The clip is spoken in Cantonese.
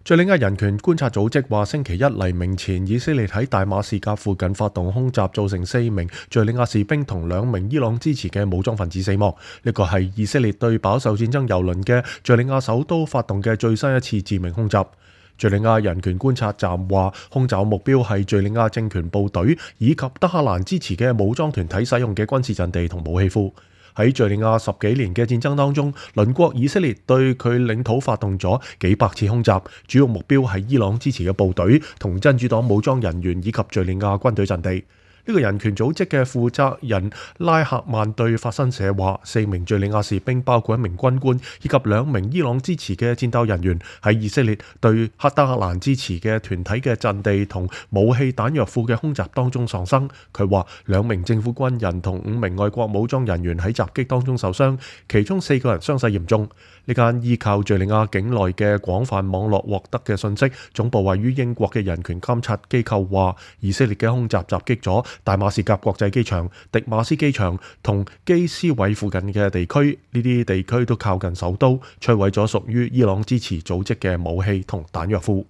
敘利亞人權觀察組織話，星期一黎明前，以色列喺大馬士革附近發動空襲，造成4名敘利亞士兵同2名伊朗支持嘅武裝分子死亡。呢個係以色列對飽受戰爭蹂躪嘅敘利亞首都發動嘅最新一次致命空襲。敘利亞人權觀察站話，空襲目標係敘利亞政權部隊以及德黑蘭支持嘅武裝團體使用嘅軍事陣地同武器庫。喺敘利亞10幾年嘅戰爭當中，鄰國以色列對佢領土發動咗幾百次空襲，主要目標係伊朗支持嘅部隊同真主黨武裝人員以及敘利亞軍隊陣地。呢個人權組織嘅負責人拉赫曼對法新社話，4名敘利亞士兵，包括1名軍官以及2名伊朗支持嘅戰鬥人員，喺以色列對德黑蘭支持嘅團體嘅陣地同武器彈藥庫嘅空襲當中喪生。佢話2名政府軍人同5名外國武裝人員喺襲擊當中受傷，其中4個人傷勢嚴重。呢間依靠敘利亞境內嘅廣泛網絡獲得嘅信息，總部位於英國嘅人權監察機構話，以色列嘅空襲襲擊咗大馬士革國際機場、迪馬斯機場同基斯韋附近嘅地區，呢啲地區都靠近首都，摧毀咗屬於伊朗支持組織嘅武器同彈藥庫。